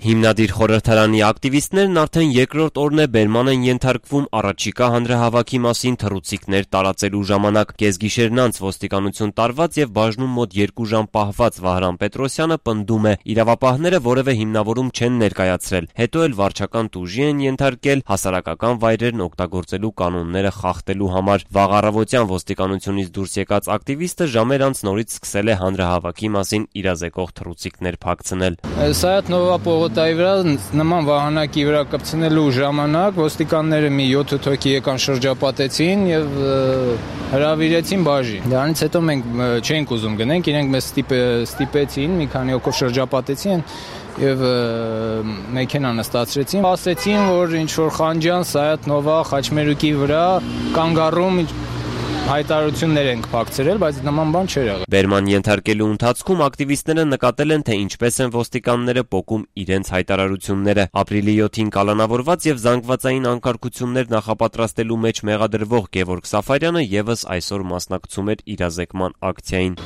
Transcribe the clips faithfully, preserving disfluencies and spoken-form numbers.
Հիմնադիր խորհրդարանի ակտիվիստներն արդեն երկրորդ օրն է բերման են ենթարկվում առաջիկա հանրահավաքի մասին թռուցիկներ տարածելու ժամանակ։ Կեսգիշերն անց ոստիկանություն տարված եւ բաժնում մոտ երկու ժամ պահված Վահրամ Պետրոսյանը պնդում է՝ իրավապահները որևէ հիմնավորում չեն ներկայացրել, հետո էլ վարչական տուժի են ենթարկել հասարակական վայրերն օգտագործելու կանոնները խախտելու համար։ Վաղ առավոտյան ոստիկանությունից դուրս եկած ակտիվիստը ժամեր անց նորից սկսել է հանրահավաքի մասին իրազեկող թռուցիկներ փակցնել։ Տայի վրա նման վահանակի վրա կպցնելու ժամանակ ոստիկանները մի յոթ հոգի եկան շրջապատեցին եւ հրավիրեցին բաժի։ Դրանից հետո մենք չենք ուզում գնենք, իրենք մեզ ստիպեցին, մի քանի հոգով շրջապատեցին եւ մեքենա նստացրեցին, ասեցին, որ ինչ որ Խանջյան, Սայաթ Նովա, Խաչմերուկի վրա կանգառում հայտարարություններ ենք փակցրել, բայց նման բան չէր եղել։ Բերման ենթարկելու ընթացքում ակտիվիստները նկատել են, թե ինչպես են ոստիկանները պոկում իրենց հայտարարությունները։ Ապրիլի յոթին կալանավորված եւ զանգվածային անկարգություններ նախապատրաստելու մեջ մեղադրվող Գևորգ Սաֆարյանը եւս այսօր մասնակցում էր իրազեկման ակցիային։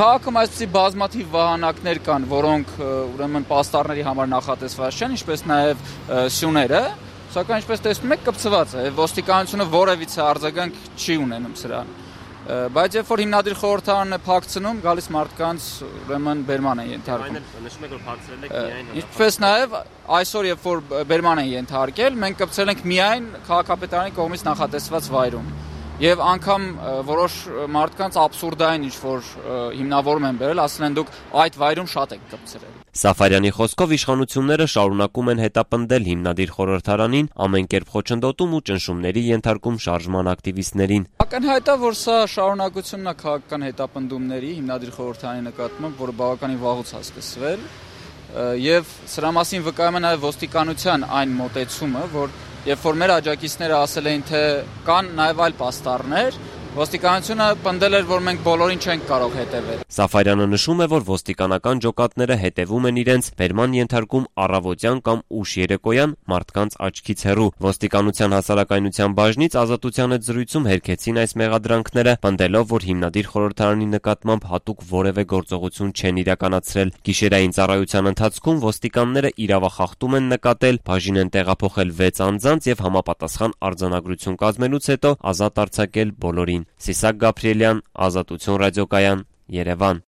Քաղաքում այսպիսի բազմաթիվ վահանակներ կան, որոնք ուրեմն պաստառների համար նախատեսված չեն, ինչպես նաեւ սյուները։ Սակայն ինչպես տեսնում եք կպցված է, ոստիկանությունը որևիցե արձագանք չի ունենում սրան։ Բայց երբ որ հիմնադիր խորհրդարանը փակցնում, գալիս մարդկանց ուրեմն բերման են ենթարկում։ Նշում եք, որ փակցրել եք միայն։ Ինչպես նաև այսօր երբ որ բերման են ենթարկել, մենք կպցրել ենք միայն քաղաքապետարանի կողմից նախատեսված վայրում։ Եվ անգամ որոշ մարդկանց աբսուրդային ինչ-որ հիմնավորում են բերել, ասել են դուք այդ վայրում շատ եք կպցրել։ Սաֆարյանի խոսքով իշխանությունները շարունակում են հետապնդել հիմնադիր խորհրդարանին, ամեն կերպ խոչընդոտում ու ճնշումների ենթարկում շարժման ակտիվիստներին։ Ակնհայտ է, որ սա շարունակությունն է քաղաքական հետապնդումների հիմնադիր խորհրդարանի նկատմամբ, որը բավականին վաղուց է սկսվել, եւ սրա մասին վկայում է նաեւ ոստիկանության այն մոտեցումը, որ երբ որ մեր աջակիցները ասել էին, թե կան նաև այլ պաստառներ, ոստիկանությունը պնդել էր, որ մենք բոլորին չենք կարող հետևել։ Սաֆարյանը նշում է, որ ոստիկանական ջոկատները հետևում են իրենց, բերման ենթարկում առավոտյան կամ ուշ երեկոյան մարդկանց աչքից հեռու։ Ոստիկանության հասարակայնության բաժնից Ազատության հետ զրույցում հերքեցին այս մեղադրանքները, պնդելով, որ հիմնադիր խորհրդարանի նկատմամբ հատուկ որևէ գործողություն չեն իրականացրել։ Գիշերային ծառայության ընթացքում ոստիկանները իրավախախտում են նկատել, բաժին են տեղափոխել վեց անձանց եւ համապատասխան արձանագրություն կազմելուց հետո ազատ արձակել բոլորին։ Սիսակ Գաբրիելյան, Ազատություն ռադիոկայան, Երևան։